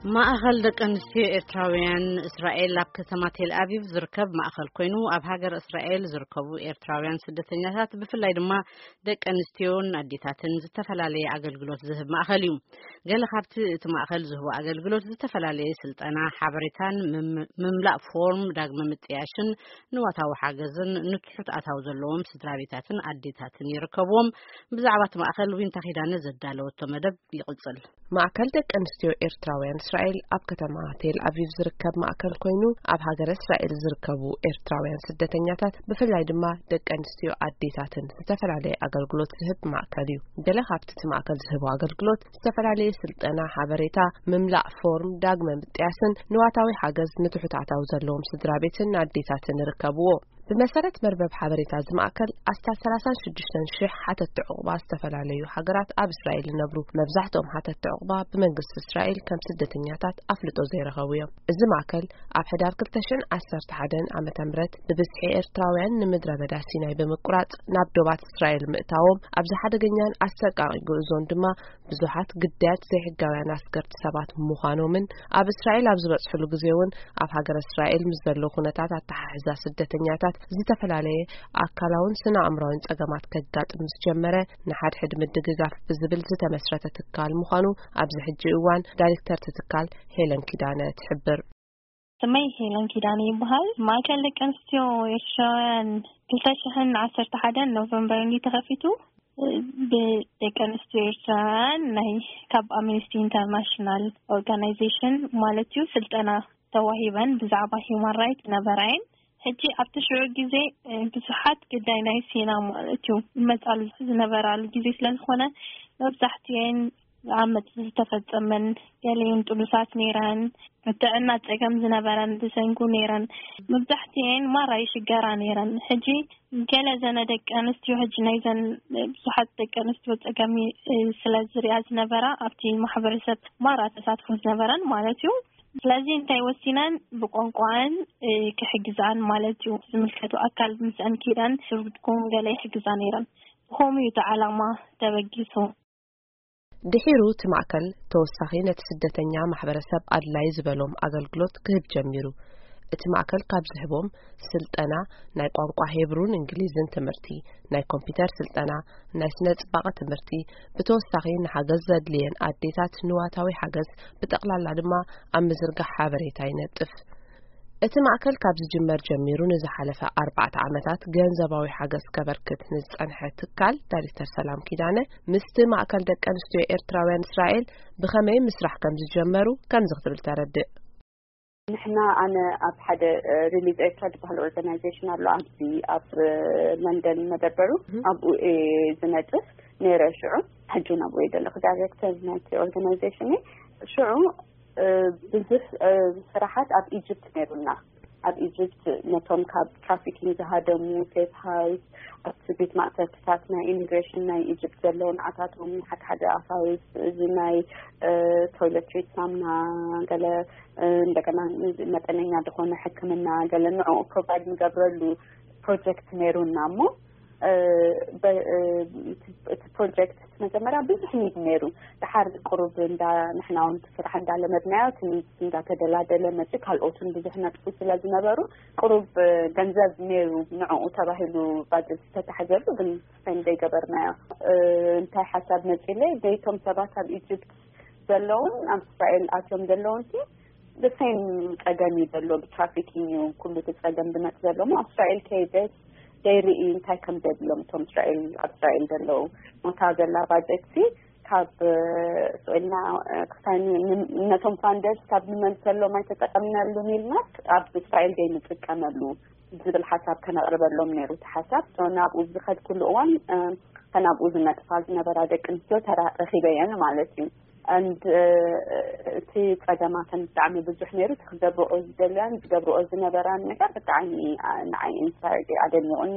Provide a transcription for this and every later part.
ማእኸል ደቂ ኣንስትዮ ኤርትራውያን እስራኤል ኣብ ከተማ ቴል ኣቪቭ ዝርከብ ማእኸል ኮይኑ፣ ኣብ ሃገር እስራኤል ዝርከቡ ኤርትራውያን ስደተኛታት፣ ብፍላይ ድማ ደቂ ኣንስትዮን ኣዴታትን፣ ዝተፈላለየ ኣገልግሎት ዝህብ ማእኸል እዩ። ገለ ካብቲ እቲ ማእኸል ዝህቦ ኣገልግሎት ዝተፈላለየ ስልጠና፣ ሓበሬታን ምም-፣ ምምላእ ፎርም ዳግመ ምጥያሽን ንዋታዊ ሓገዝን ንትሑት ኣታዊ ዘለዎም ስድራ ቤታትን ኣዴታትን ይርከብዎም። ብዛዕባ እቲ ማእኸል ዊንታ ኪዳነ ዘዳለወቶ መደብ ይቕጽል። ማእከል ደቂ ኣንስትዮ ኤርትራውያን እስራኤል ኣብ ከተማ ቴል ኣቪቭ ዝርከብ ማእከል ኮይኑ፣ ኣብ ሃገረ እስራኤል ዝርከቡ ኤርትራውያን ስደተኛታት፣ ብፍላይ ድማ ደቂ ኣንስትዮ ኣዴታትን ዝተፈላለየ ኣገልግሎት ዝህብ ማእከል እዩ። ገለ ካብቲ እቲ ማእከል ዝህቦ ኣገልግሎት ዝተፈላለየ ስልጠና፣ ሓበሬታ፣ ምምላእ ፎርም፣ ዳግመ ምጥያስን ንዋታዊ ሓገዝ ንትሑት ኣታዊ ዘለዎም ስድራ ቤትን ኣዴታትን ይርከብዎ። ብመሰረት መርበብ ሓበሬታ እዚ ማእከል፣ ኣስታት ሰላሳን ሽዱሽተን ሽሕ ሓተትቲ ዕቑባ ዝተፈላለዩ ሃገራት ኣብ እስራኤል ይነብሩ። መብዛሕትኦም ሓተትቲ ዕቑባ ብመንግስቲ እስራኤል ከም ስደተኛታት ኣፍልጦ ዘይረኸቡ እዮም። እዚ ማእከል ኣብ ሕዳር ክልተ ሽሕን ዓሰርተ ሓደን ዓመተ ምህረት ብብዝሒ ኤርትራውያን ንምድረ በዳ ሲናይ ብምቁራጽ ናብ ዶባት እስራኤል ምእታዎም ኣብዚ ሓደገኛን ኣሰቃቂ ጉዕዞን ድማ ብዙሓት ግዳያት ዘይሕጋውያን ኣስገርቲ ሰባት ምዃኖምን ኣብ እስራኤል ኣብ ዝበጽሕሉ ግዜ እውን ኣብ ሃገር እስራኤል ምስ ዘሎ ኩነታት ኣተሓሕዛ ስደተኛታት ዝተፈላለየ ኣካላውን ስነ ኣእምራውን ጸገማት ከጋጥም ምስ ጀመረ ንሓድሕድ ምድግጋፍ ብዝብል ዝተመስረተ ትካል ምዃኑ ኣብዚ ሕጂ እዋን ዳይሬክተር እቲ ትካል ሄለን ኪዳነ ትሕብር። ስመይ ሄለን ኪዳነ ይበሃል። ማእከል ደቂ ኣንስትዮ ኤርትራውያን ክልተ ሽሕን ዓሰርተ ሓደን ኖቨምበር እንዲ ተኸፊቱ ብደቂ ኣንስትዮ ኤርትራውያን ናይ ካብ ኣምነስቲ ኢንተርናሽናል ኦርጋናይዜሽን ማለት እዩ ስልጠና ተዋሂበን ብዛዕባ ሂውማን ራይት ነበራየን። ሕጂ ኣብቲ ሽዑ ግዜ ብዙሓት ግዳይ ናይ ሲና ማለት እዩ መጻሉ ዝነበራሉ ግዜ ስለ ዝኾነ መብዛሕትኤን ዓመጽ ዝተፈጸመን ገሊኡን ጥኑሳት ነይረን፣ ጥዕና ጸገም ዝነበረን ዝሰንጉ ነይረን። መብዛሕትኤን ማራ ይሽገራ ነይረን። ሕጂ ገለ ዘነ ደቂ ኣንስትዮ ሕጂ ናይዘን ብዙሓት ደቂ ኣንስትዮ ጸገም እ፣ ስለ ዝሪኣ ዝነበራ ኣብቲ ማሕበረሰብ ማራ ተሳትፎ ዝነበረን ማለት እዩ። ስለዚ እንታይ ወሲነን ብቋንቋን እ፣ ክሕግዛን ማለት እዩ። ዝምልከቱ ኣካል ምስአን ኪዳን ስርጉድኩም ገለ ይሕግዛ ነይረን። ብኸምኡ እዩ እቲ ዓላማ ተበጊሱ። ድሒሩ እቲ ማእከል ተወሳኺ ነቲ ስደተኛ ማሕበረሰብ ኣድላይ ዝበሎም ኣገልግሎት ክህብ ጀሚሩ። እቲ ማእከል ካብ ዝህቦም ስልጠና ናይ ቋንቋ ሄብሩን እንግሊዝን ትምህርቲ፣ ናይ ኮምፒውተር ስልጠና፣ ናይ ስነ ጽባቐ ትምህርቲ፣ ብተወሳኺ ንሓገዝ ዘድልየን ኣዴታት ንዋታዊ ሓገዝ፣ ብጠቕላላ ድማ ኣብ ምዝርጋሕ ሓበሬታ ይነጥፍ። እቲ ማእከል ካብ ዝጅመር ጀሚሩ ንዝሓለፈ ኣርባዕተ ዓመታት ገንዘባዊ ሓገዝ ከበርክት ንዝጸንሐ ትካል ዳይሬክተር ሰላም ኪዳነ ምስቲ ማእከል ደቂ ኣንስትዮ ኤርትራውያን እስራኤል ብኸመይ ምስራሕ ከም ዝጀመሩ ከምዚ ክትብል ተረድእ። ንሕና ኣነ ኣብ ሓደ ሪሊፍ ኤርትራ ዝበሃል ኦርጋናይዜሽን ኣሎ ኣብዚ ኣብ ለንደን መደበሩ ኣብኡ እየ ዝነጥፍ ነይረ ሽዑ። ሕጂ ናብኡ እየ ዘለኹ ዳይሬክተር ናይቲ ኦርጋናይዜሽን እየ። ሽዑ ብዙሕ ስራሓት ኣብ ኢጅፕት ነይሩና። ኣብ ኢጅፕት ነቶም ካብ ትራፊኪንግ ዝሃደሙ ሴፍ ሃውስ ኣብቲ ቤት ማእሰርትታት ናይ ኢሚግሬሽን ናይ ኢጅፕት ዘለዉ ንዓታቶም ሓደ ሓደ ኣፋውስ እዚ ናይ ቶይለትሪት ሳምና ገለ እንደገና መጠነኛ ዝኾነ ሕክምና ገለ ንዕኡ ፕሮቫይድ ንገብረሉ ፕሮጀክት ነይሩና እሞ እቲ ፕሮጀክት መጀመርያ ብዙሕ ኒድ ነይሩ። ድሓር ቁሩብ እንዳ ንሕና እውን እቲ ስራሕ እንዳለመድናዮ እቲ ኒድ እንዳተደላደለ መፂ ካልኦትን ብዙሕ ነጥፉ ስለ ዝነበሩ ቁሩብ ገንዘብ ነይሩ ንዕኡ ተባሂሉ ባጀት ዝተታሕዘሉ ግን ስፔንድ ዘይገበርናዮ። እንታይ ሓሳብ መፂለይ ዘይቶም ሰባት ኣብ ኢጅፕት ዘለውን ኣብ እስራኤል ኣትዮም ዘለውን ሲ ብሴም ጸገም እዩ ዘሎ ብትራፊኪንግ እዩ ኩሉ እቲ ጸገም ዝመጽእ ዘሎ እሞ ኣብ እስራኤል ከይደስ ዘይርኢ እንታይ ከም ዘድሎም እቶም እስራኤል ኣብ እስራኤል ዘለዉ ሞታ ዘላ ባጀት ሲ ካብ ስእልና ክሳኒ ነቶም ፋንደርስ ካብ ንመልሰሎም ኣይተጠቀምናሉን ኢልና ኣብ እስራኤል ዘይንጥቀመሉ ዝብል ሓሳብ ከነቕርበሎም ነይሩ እቲ ሓሳብ ናብኡ ዝኸድኩሉ እዋን ከናብኡ ዝነጥፋ ዝነበራ ደቂ ኣንስትዮ ተረኺበየን ማለት እዩ። And እቲ ጸገማተን ብጣዕሚ ብዙሕ ነይሩ። እቲ ክገብርኦ ዝደልያን ዝገብርኦ ዝነበራን ነገር ብጣዕሚ ንዓይ ኢንስፓየርድ ኣደኒቑኒ።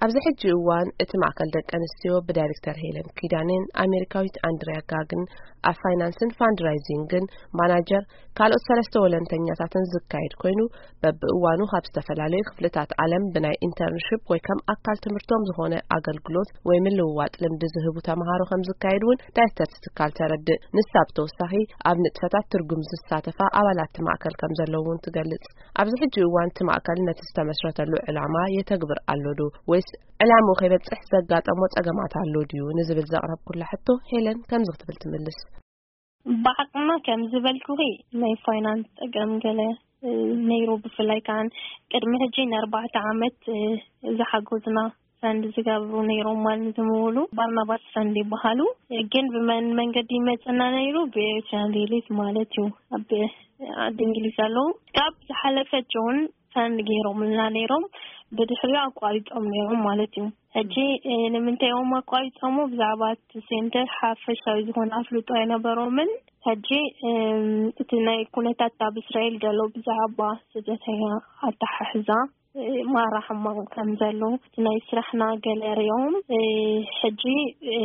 ኣብዚ ሕጂ እዋን እቲ ማእከል ደቂ ኣንስትዮ ብዳይሬክተር ሄለን ኪዳኔን ኣሜሪካዊት ኣንድሪያ ጋግን ኣብ ፋይናንስን ፋንድራይዚንግን ማናጀር ካልኦት ሰለስተ ወለንተኛታትን ዝካየድ ኮይኑ፣ በብእዋኑ ካብ ዝተፈላለዩ ክፍልታት ዓለም ብናይ ኢንተርንሽፕ ወይ ከም ኣካል ትምህርቶም ዝኾነ ኣገልግሎት ወይ ምልውዋጥ ልምዲ ዝህቡ ተምሃሮ ከም ዝካየድ እውን ዳይሬክተር እቲ ትካል ተረድእ። ንሳ ብተወሳኺ ኣብ ንጥፈታት ትርጉም ዝሳተፋ ኣባላት እቲ ማእከል ከም ዘለዉ እውን ትገልጽ። ኣብዚ ሕጂ እዋን እቲ ማእከል ነቲ ዝተመስረተሉ ዕላማ የተግብር ኣሎ ዶ ወይስ ዕላምኡ ከይበጽሕ ዘጋጠሞ ጸገማት ኣሎ ድዩ ንዝብል ዘቕረብኩላ ሕቶ ሄለን ከምዚ ክትብል ትምልስ። ብዓቕምና ከም ዝበልኩኺ ናይ ፋይናንስ ጸገም ገለ፣ እ፣ ነይሩ። ብፍላይ ከዓን ቅድሚ ሕጂ ንኣርባዕተ ዓመት፣ እ፣ ዝሓገዙና ፈንድ ዝገብሩ ነይሮም ማለት ዝምውሉ ባርናባስ ፈንድ ይበሃሉ። ግን ብመን መንገዲ ይመጽና ነይሩ? ብኤርትራን ሪሊፍ ማለት እዩ። ኣብ ዓዲ እንግሊዝ ኣለዉ። ካብ ዝሓለፈ ጆን ፈንድ ገይሮምልና ነይሮም፣ ብድሕሪኡ ኣቋሪጾም ነይሮም ማለት እዩ። ሕጂ፣ እ፣ ንምንታይ እዮም ኣቋሪጾሞ? ብዛዕባ እቲ ሴንተር ሓፈሻዊ ዝኾነ ኣፍልጦ ኣይነበሮምን። ሕጂ፣ እም፣ እቲ ናይ ኩነታት ኣብ እስራኤል ዘሎ ብዛዕባ ስደተኛ ኣተሓሕዛ፣ እ፣ ማራ ሕማቕ ከም ዘሎ፣ እቲ ናይ ስራሕና ገለ ሪኦም፣ እ፣ ሕጂ፣ እ፣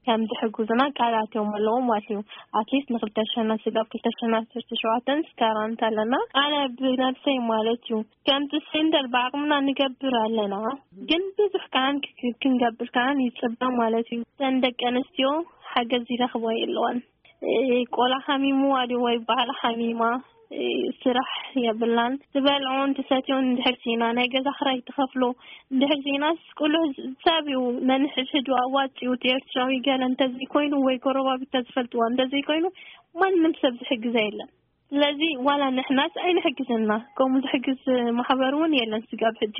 ከም ዝሕግዙና ቃል ኣትዮም ኣለዉ ማለት እዩ። ኣትሊስት ንክልተ ሸና ስጋብ ክልተ ሸና ዓሰርተ ሸውዓተን ስካራንት ኣለና። ኣነ ብነብሰይ ማለት እዩ፣ ከምቲ ሴንተር ብዓቕምና ንገብር ኣለና፣ ግን ብዙሕ ከዓን ክ-፣ ክንገብር ከዓን ይጽበ ማለት እዩ። እተን ደቂ ኣንስትዮ ሓገዝ ይረኽባ የለዋን። እ፣ ቆልዓ ሓሚሙ ኣድዮ ወይ ባዕላ ሓሚማ፣ እ፣ ስራሕ የብላን። ዝበልዖን ትሰትዮን እንድሕር ሲና፣ ናይ ገዛ ክራይ ትኸፍሎ እንድሕር ሲናስ፣ ቁልዕ ሰብ እዩ ነንሕድሕዱ ኣዋጺኡ፣ እቲ ኤርትራዊ ገለ እንተዘይኮይኑ ወይ ጎረባብታ ዝፈልጥዋ እንተዘይኮይኑ፣ ማንም ሰብ ዝሕግዛ የለን። ስለዚ ዋላ ንሕናስ ኣይንሕግዝና፣ ከምኡ ዝሕግዝ ማሕበር እውን የለን ስጋብ ሕጂ።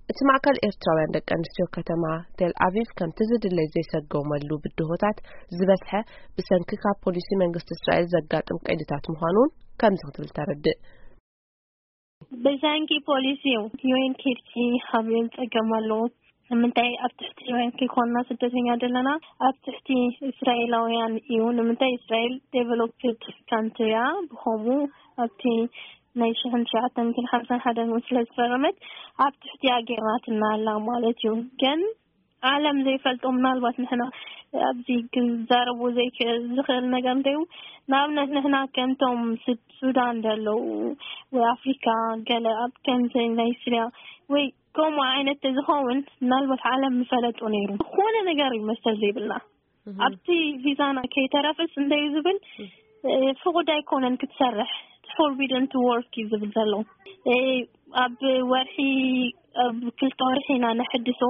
እቲ ማእከል ኤርትራውያን ደቂ ኣንስትዮ ከተማ ቴል ኣቪቭ ከምቲ ዝድለይ ዘይሰገመሉ ብድሆታት ዝበዝሐ ብሰንኪ ካብ ፖሊሲ መንግስቲ እስራኤል ዘጋጥም ቀይድታት ምዃኑን ከምዚ ክትብል ተረድእ። ብሰንኪ ፖሊሲ እዩ። ዩ ኤን ኬድሲ ሓቢኦም ጸገም ኣለዎ። ንምንታይ ኣብ ትሕቲ ዩ ኤን ከይኮንና ስደተኛ ዘለና? ኣብ ትሕቲ እስራኤላውያን እዩ። ንምንታይ? እስራኤል ዴቨሎፕድ ካንትሪ እያ። ብኸምኡ ኣብቲ ናይ ሽሕን ትሽዓተ ሚእትን ሓምሳን ሓደን እውን ስለ ዝፈረመት ኣብ ትሕቲ ኣጌርናትና ኣላ ማለት እዩ። ግን ዓለም ዘይፈልጦ ምናልባት ንሕና ኣብዚ ክዛረቡ ዘይክ-፣ ዝኽእል ነገር እንተዩ፣ ንኣብነት ንሕና ከምቶም ስድ-፣ ሱዳን ዘለዉ ወይ ኣፍሪካ ገለ ኣብ ከምዚ ናይ ስርያ ወይ ከምኡ ዓይነት ተዝኸውን ምናልባት ዓለም ምፈለጦ ነይሩ። ዝኾነ ነገር እዩ መሰል ዘይብልና። ኣብቲ ቪዛና ከይተረፈስ እንተዩ ዝብል፣ እ፣ ፍቑድ ኣይኮነን ክትሰርሕ፣ it's forbidden to work እዩ ዝብል ዘሎ። እ፣ ኣብ ወርሒ፣ ኣብ ክልተ ወርሒ ኢና ነሕድሶ።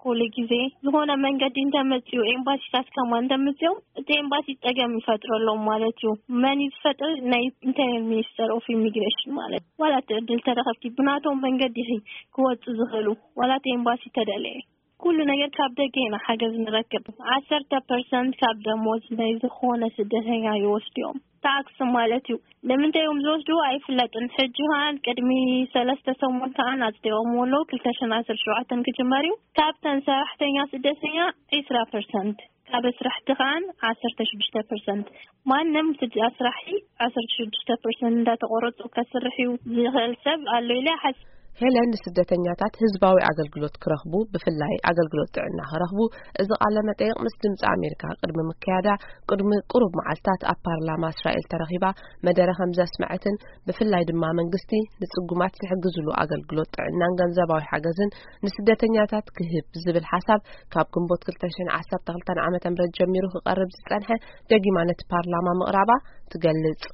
ኩሉ ግዜ ዝኾነ መንገዲ እንተመፅኡ፣ ኤምባሲታት ከማ እንተመፅኦም፣ እቲ ኤምባሲ ፀገም ይፈጥረሎም ማለት እዩ። መን እዩ ዝፈጥር? ናይ ኢንተርያል ሚኒስተር ኦፍ ኢሚግሬሽን ማለት። ዋላ እቲ ዕድል ተረኸብኪ፣ ብናቶም መንገዲ ኢኺ ክወፁ ዝኽእሉ፣ ዋላ እቲ ኤምባሲ ተደለየ። ኩሉ ነገር ካብ ደገ ኢና ሓገዝ ንረክብ። ዓሰርተ ፐርሰንት ካብ ደሞዝ ናይ ዝኾነ ስደተኛ ይወስድዮም። ታክስ ማለት እዩ። ንምንታይ እዮም ዝወስድዎ ኣይፍለጥን። ሕጂ ከዓን ቅድሚ ሰለስተ ሰሙን ከዓን ኣጽዲቖምዎ ኣለዉ። ክልተ ሽሕን ዓሰርተ ሸውዓተን ክጅመር እዩ። ካብተን ሰራሕተኛ ስደተኛ ዒስራ ፐርሰንት፣ ካብ ኣስራሕቲ ከዓን ዓሰርተ ሽዱሽተ ፐርሰንት። ማንም ስድ-፣ ኣስራሒ ዓሰርተ ሽዱሽተ ፐርሰንት እንዳተቆረጹ ከስርሕ እዩ ዝኽእል ሰብ ኣሎ ኢለ ይሓስብ። ሄለን ንስደተኛታት ህዝባዊ ኣገልግሎት ክረኽቡ፣ ብፍላይ ኣገልግሎት ጥዕና ክረኽቡ፣ እዚ ቃለ መጠይቕ ምስ ድምፂ ኣሜሪካ ቅድሚ ምክያዳ፣ ቅድሚ ቁሩብ መዓልታት ኣብ ፓርላማ እስራኤል ተረኺባ መደረ ከም ዘስመዐትን፣ ብፍላይ ድማ መንግስቲ ንጽጉማት ዝሕግዝሉ ኣገልግሎት ጥዕናን ገንዘባዊ ሓገዝን ንስደተኛታት ክህብ ዝብል ሓሳብ ካብ ግንቦት ክልተ ሽሕን ዓሰርተ ክልተን ዓመተ ምህረት ጀሚሩ ክቐርብ ዝጸንሐ ደጊማ ነቲ ፓርላማ ምቕራባ ትገልጽ።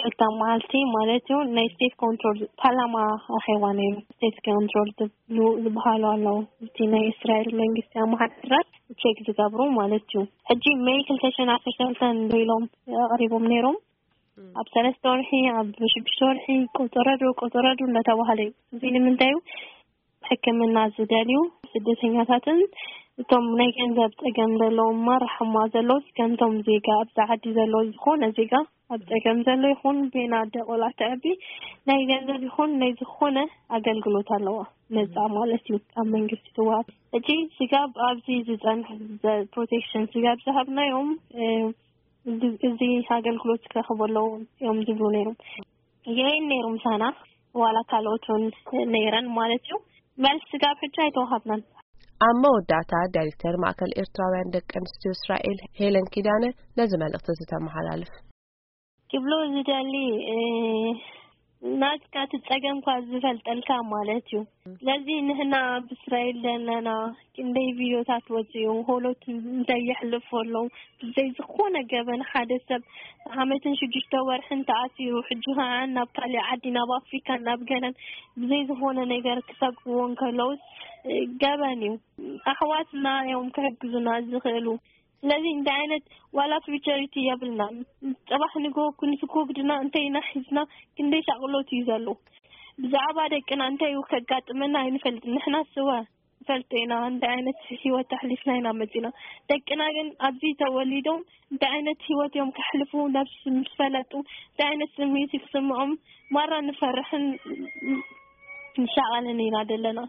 ክልተ መዓልቲ ማለት እዩ፣ ናይ ስቴት ኮንትሮል ፓርላማ ኣኼባ ነይሩ። ስቴት ኮንትሮል ዝብሉ ዝበሃሉ ኣለዉ፣ እቲ ናይ እስራኤል መንግስቲ ኣመሓዳድራት ቼክ ዝገብሩ ማለት እዩ። ሕጂ ሜይ ክልተ ሽሕን ዓሰርተ ክልተን ኢሎም ኣቕሪቦም ነይሮም። ኣብ ሰለስተ ወርሒ፣ ኣብ ሽዱሽተ ወርሒ፣ ቆጸረዶ፣ ቆጸረዶ እንዳተባሃለ እዩ። እዚ ንምንታይ እዩ? ሕክምና ዝደልዩ ስደተኛታትን እቶም ናይ ገንዘብ ጸገም ዘለዎም ማራ ሕማ ዘለዉ፣ ከምቶም ዜጋ ኣብዛ ዓዲ ዘለዉ፣ ዝኾነ ዜጋ ኣብ ጸገም ዘሎ ይኹን፣ ቤና ኣደ ቆልዓ ተዕቢ፣ ናይ ገንዘብ ይኹን ናይ ዝኾነ ኣገልግሎት ኣለዋ፣ ነጻ ማለት እዩ፣ ካብ መንግስቲ ትወሃብ። ሕጂ ስጋብ ኣብዚ ዝጸንሕ ዘ-፣ ፕሮቴክሽን ስጋብ ዝሃብናዮም፣ እ፣ እዚ፣ እዚ ኣገልግሎት ክረኽቡ ኣለዉ እዮም ዝብሉ ነይሮም። ዩ ኤን ነይሩ ምሳና፣ ዋላ ካልኦት እውን ነይረን ማለት እዩ። መልሲ ስጋብ ሕጂ ኣይተዋሃብናን። ኣብ መወዳእታ ዳይሬክተር ማእከል ኤርትራውያን ደቂ ኣንስትዮ እስራኤል ሄለን ኪዳነ ነዚ መልእኽቲ ዝተመሓላልፍ። ክብሎ ዝደሊ ናትካ ትጸገምኳ ዝፈልጠልካ ማለት እዩ። ስለዚ ንሕና ኣብ እስራኤል ዘለና ክንደይ ቪዮታት ወፅኡ ሆሎት እንታይ የሕልፉ ኣለዉ ብዘይ ዝኾነ ገበን ሓደ ሰብ ዓመትን ሽዱሽተ ወርሕን ተኣሲሩ ሕጂ ከዓ ናብ ካሊእ ዓዲ ናብ ኣፍሪካ ናብ ገለን ብዘይ ዝኾነ ነገር ክሰግዎ እንከለውስ ገበን እዩ። ኣሕዋትና እዮም ክሕግዙና ዝኽእሉ። ስለዚ እንታይ ዓይነት ዋላ ፊውቸሪቲ የብልና። ፅባሕ ንጎ ክንስኮግድና እንተይና ሒዝና ክንደይ ሻቕሎት እዩ ዘሎ። ብዛዕባ ደቅና እንታይ እዩ ከጋጥመና ኣይንፈልጥ። ንሕና ስወ ንፈልጦ ኢና እንታይ ዓይነት ህይወት ኣሕሊፍና ኢና መፂና። ደቅና ግን ኣብዚ ተወሊዶም እንታይ ዓይነት ህይወት እዮም ከሕልፉ ነብስ ምስ ፈለጡ እንታይ ዓይነት ስምዒት ክስምዖም ማራ ንፈርሕን ንሻቐልን ኢና ዘለና።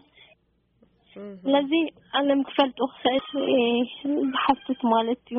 ስለዚ ዓለም ክፈልጡ ክኽእል ዝሓትት ማለት እዩ።